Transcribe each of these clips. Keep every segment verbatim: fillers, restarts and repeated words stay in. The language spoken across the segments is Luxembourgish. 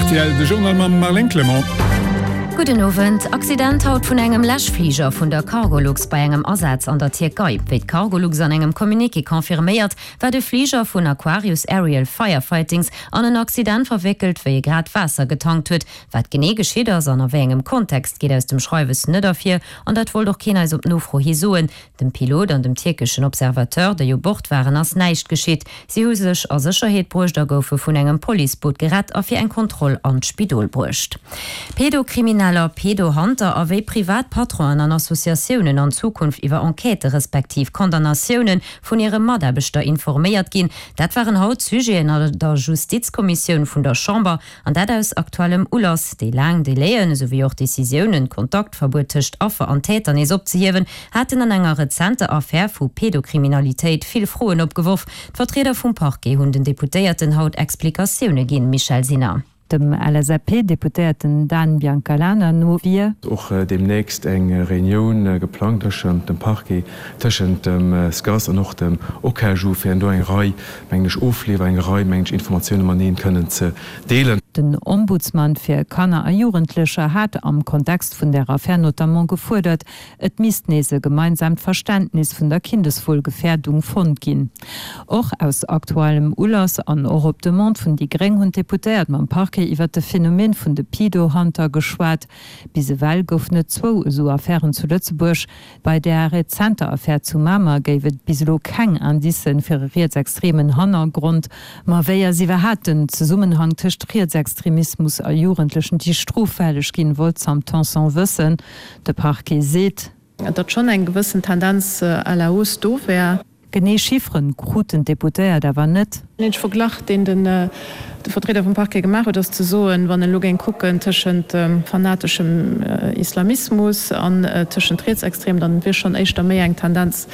rtl, de Journal mam Marlène Clement. Gudden Owend. Accident haut vun engem Läschfliger vun der Cargolux bei engem Asaz an der Tierkei. Wéi d'Cargolux an engem Communiqué confirméiert, war de Fliger vun Aquarius Aerial Firefightings an en Accident verwéckelt, wéi e grad Waasser getankt huet. Wat genee geschitt ass an a wéi engem Kontext, geet aus dem Schreiwes net ervir an dat wollt och keen eis op Nofro hi soen. Dem Pilot an dem tierkeschen Observateur, déi u Bord waren, ass näischt geschitt. Si hu sech a Sécherheet bruecht a goufe vun engem Policeboot gerett a fir eng Kontroll an d'Spidol bruecht. Pedokrimineller, Pedohunter a wéi privat Patronen an Associatiounen an Zukunft iwwer Enquêtë respektiv Condamnatioune vun hire Mataarbechter informéiert ginn, dat waren haut d'Sujeten an der Justizkommissioun vun der Chamber. An dat aus aktuellem Ulass. Déi laang Delaien, esou wéi och d'Decisiounen, d'Kontaktverbuet tëscht Affer an Täter nees opzehiewen, haten an enger rezenter Affär vu Pedokriminalitéit vill Froen opgeworf. D'Vertrieder vum Parquet hunn den Deputéierten haut Explikatioune ginn. Michèle Sinner. Dem LSAP-Deputéierten Dan Biancalana no wier. Och deemnächst eng Reunioun geplangt tëschent dem Parquet, tëschent dem SCAS an och dem OKaju, fir do eng Rei, mengen ech, Ofleef, eng Rei, mengen ech, Informatioune mateneen kënnen ze deelen. Den Ombudsman fir Kanner a Jugendlecher hat am Kontext vun der Affär notamment gefuerdert, et misst nees e gemeinsaamt Verständnis vun der Kindeswohlgefährdung fonnt ginn. Och aus aktuellem Ulass an och op Demande vun déi gréng hunn d'Deputéiert mam Parquet iwwert de Phänomen vun de Pedo-Hunter geschwat. Bis ewell goufen et zwou esou Affären zu Lëtzebuerg. Bei där rezenter Affär zu Mamer géif et bis elo keng Indicen fir e rietsextremen Hannergrond. Ma wéi ass iwwerhaapt den Zesummenhang tëscht Rietsextremismus a Jugendlechen, déi stroffälleg ginn, wollt d'Sam Tanson wëssen. De Parquet seet. Datt schonn eng gewëssen Tendenz à la hausse do wär. Genee Chiffren kruten d'Deputéiert awer net. Den eenzege Verglach, deen de Vertrieder vum Parquet gemaach huet, ass ze soen, wann en elo géing kucken tëschent fanateschem Islamismus an tëschent Rietsextremen, dann wier schonn éischter méi eng Tendenz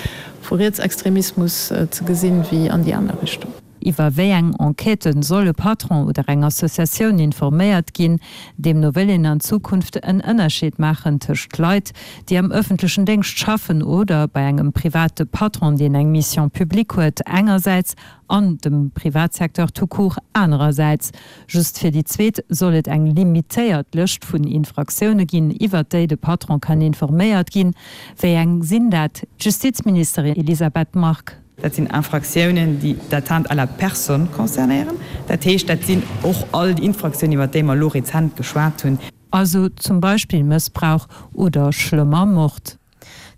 vu Rietsextremismus ze gesinn, wéi an déi aner Richtung. Iwwer wéi eng Enquêtë soll e Patron oder eng Associatioun informéiert ginn? Deemno wëll een an Zukunft en Ënnerscheed maachen tëscht Leit, déi am ëffentlechen Déngscht schaffen oder bei engem private Patron, deen eng Mission publique huet engersäits, an dem Privatsecteur tout court anerersäits. Just fir déi zweet soll et eng limitéiert Lëscht vun Infraktioune ginn, iwwert déi de Patron kann informéiert ginn. Wéi eng sinn dat? D'Justizministerin Elisabeth Margue. Dat sinn Infraktiounen, déi d'Atteinte à la personne concernéieren. Dat heescht, dat sinn och all déi Infraktiounen, iwwert déi mer elo rezent geschwat hunn. Also zum Beispill Mëssbrauch oder schlëmmer Mord.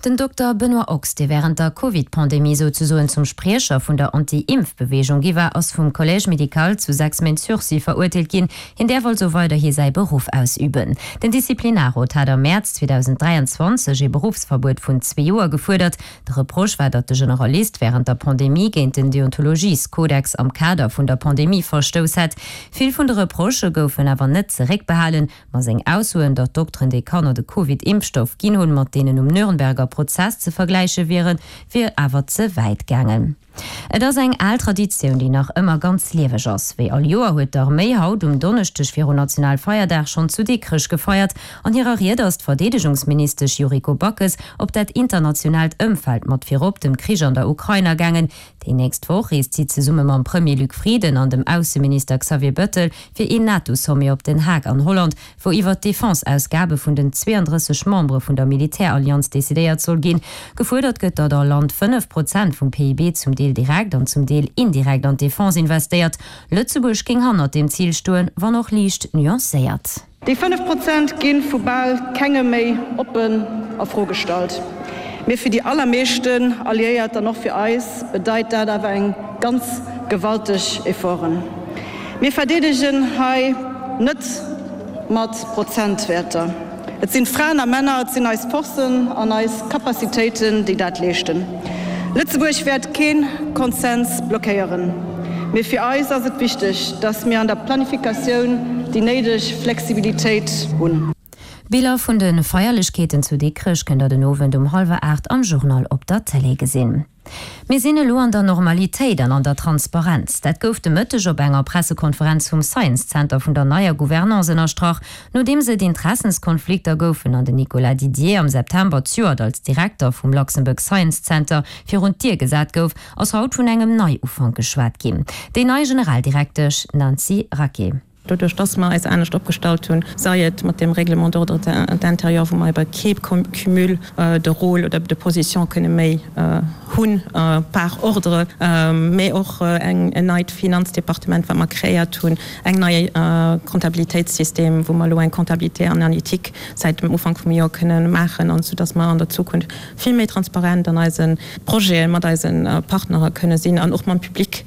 Den Dokter Benoît Ochs, dee wärend der Covid-Pandemie souzesoen zum Spriecher vun der Anti-Impf-Beweegung gi war, ass vum Collège médical zu sechs Méint Sursis verurteelt ginn. Hien däerf also weiderhi säi Beruff ausüben. Den Disziplinarrot hat am Mäerz zweedausend dräianzwanzeg ee Beruffsverbuet vun zwee Joer gefuerdert. De Reproche war, datt de Generalist wärend der Pandemie géint den Deontologieskodex am Kader vun der Pandemie verstouss hätt. Vill vun de Reprochë goufen awer net zeréckbehalen, ma seng Aussoen, datt Dokteren, déi Kanner de Covid-Impfstoff ginn hunn, mat deenen um Nürnberger Prozess ze vergläiche wieren, wier awer ze wäit gaangen. Et ass eng al Traditioun, déi nach ëmmer ganz lieweg ass. Wéi all Joer huet d'Arméi haut um Donneschdeg virun Nationalfeierdag schonn zu Dikrech gefeiert. An hirer Ried ass d'Verdeedegungsministesch Yuriko Backes op dat internationaalt Ëmfeld mat virop dem Krich an der Ukrain agaangen. Déi nächst Woch reest si zesumme mam Premier Luc Frieden an dem Ausseminister Xavier Bettel fir een NATO-Sommet op Den Haag an Holland, wou iwwer d'Defense-Ausgabe vun den zweeëndrësseg Membere vun der Militärallianz decidéiert soll ginn. Gefuerdert gëtt, datt all Land fënnef Prozent vum P I B zum Deel direkt an zum Deel indirekt an d'Defense investéiert. Lëtzebuerg géing hannert deem Zil stoen, wann och liicht nuancéiert. Déi fënnef Prozent gi vu bal kengem méi oppen a Fro gestallt. Mee fir déi allermeeschten Alliéiert an och fir eis bedeit dat awer eng ganz gewalteg Efforten. Mir verdeedegen hei net mat Prozentwäerter. Et sinn Fraen a Männer, et sinn eis Forcen an eis Capacitéiten, déi dat leeschten. Lëtzebuerg wäert kee Konsens blockéieren. Mee fir eis ass et wichteg, datt mir an der Planifikatioun déi néideg Flexibilitéit hunn. Biller vun de Feierlechkeeten zu Dikrech kënnt der den Owend um hallwer aacht am Journal op der Tëlee gesinn. Mir sinn elo an der Normalitéit an an der Transparenz. Dat gouf de Mëtteg op enger Pressekonferenz vum Science Center vun der neier Gouvernance ënnerstrach, nodeems et Interessenskonflikter goufen an den Nicolas Didier am September zejoert als Direkter vum Luxembourg Science Center virun d'Dier gesat gouf, ass haut vun engem Neiufank geschwat ginn. Déi nei Generaldirektesch Nancy Raquet. Doduerch dass mer eis anescht opgestallt hunn, sei et mat deem Règlement d'ordre intérieur, wou mer ebe kee Cumul de rôles oder de positions kënne méi hunn par ordre, mä och en neit Finanzdepartement, wat mer kreéiert hunn, eng nei Comptabilitéitssystem, wou mer elo eng Comptabilité analytique säit dem Ufank vum Joer kënne maachen, an soudass mer an der Zukunft vill méi transparent an eise Projete mat eise Partnere kënne sinn an och mam Public.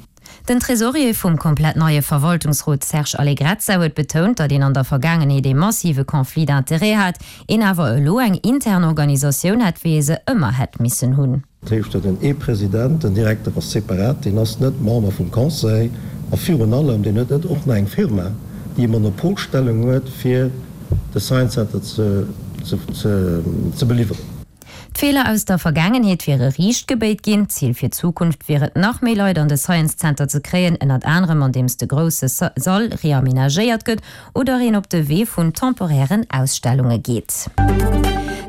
Den Tresorier vum komplett neie Verwaltungsrot Serge Allegrezza huet betount, datt een an der Vergaangenheet ee massive Conflit d'intérêts hat, een awer elo eng intern Organisatioun hätt, wéi ee se ëmmer hätt missen hunn. Dat heescht, et huet ee President, den Direkter ass separat, deen ass net Member vum Conseil a virun allem, deen huet net och nach eng Firma, déi e Monopolstellung huet, fir de Science Center ze beliwweren. D'Feeler aus der Vergaangenheet wiere riicht gebéit ginn. D'Zil fir d'Zukunft wier et, nach méi Leit an de Science Center ze kréien, ënnert anerem andeems de grousse Sall reamenagéiert gëtt oder een op de Wee vun temporären Ausstellunge geet.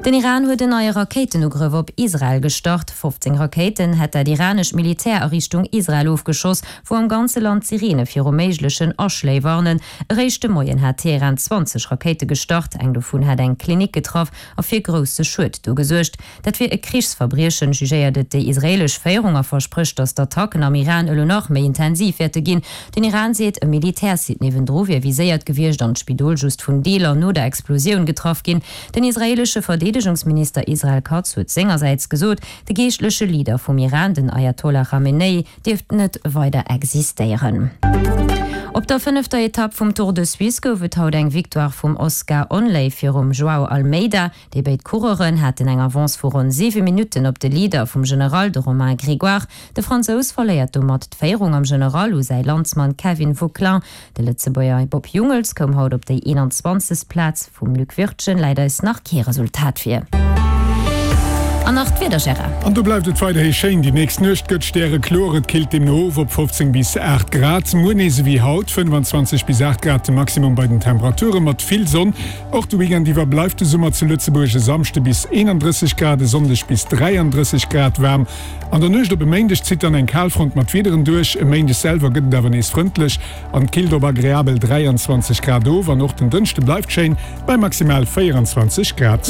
Den Iran huet en neie Rakéitenugrëff op Israel gestart. fofzéng Rakéiten hätt dat iranescht Militär a Richtung Israel ofgeschoss, wou am ganze Land d'Sireene viru méiglechen Aschléi warnen. Eréischt de Moien hat Teheran zwanzeg Rakéite gestart, eng dovun hätt eng Klinik getraff a fir grousse Schued do gesuergt. Dat wier e Krichsverbriechen, jugéiert et déi israeelesch Féierung a versprécht, datt d'Attacken am Iran elo nach méi intensiv wäerte ginn. Den Iran seet, e Militärsite niewendru wier viséiert gewiescht an d'Spidol just vun Deeler no der Explosioun getraff ginn. Den israeelesche Verdeedegungsminister Israel Katz huet sengersäits gesot, de geeschtleche Leader vum Iran, den Ayatollah Khamenei, dierft net weider existéieren. Op der fënnefter Etapp vum Tour de Suisse gouf et haut eng Victoire vum Oscar Onley virum Joao Almeida. Déi béid Coureuren haten eng Avance vu ronn siwe Minutten op de Leader vum General, de Romain Grégoire. De Fransous verléiert domat d'Féierung am General u säi Landsmann Kevin Vauquelin. De Lëtzebuerger Bob Jungels koum haut op déi eenanzwanzegst Plaz. Vum Luc Wirtgen läit eis nach kee Resultat vir. An nach d'Wieder, Gérard. An do bleift et weiderhi schéin. Déi nächst Nuecht gëtt stärekloer, et killt deemno of op fofzéng bis aacht Grad. Muer nees ewéi haut, fënnfanzwanzeg bis aacht Grad de Maximum bei den Temperature mat vill Sonn. Och de Weekend iwwer bleift de Summer zu Lëtzebuerg, e Samschde bis eenandrësseg Grad, e Sonndeg bis dräiandrësseg Grad waarm. An der Nuecht op e Méindeg zitt dann eng Kalfront mat Wiederen duerch. E Méindeg selwer gëtt et awer nees frëndlech an et killt op agreabel dräianzwanzeg Grad of. An och den Dënschde bleift schéin bei maximal véieranzwanzeg Grad.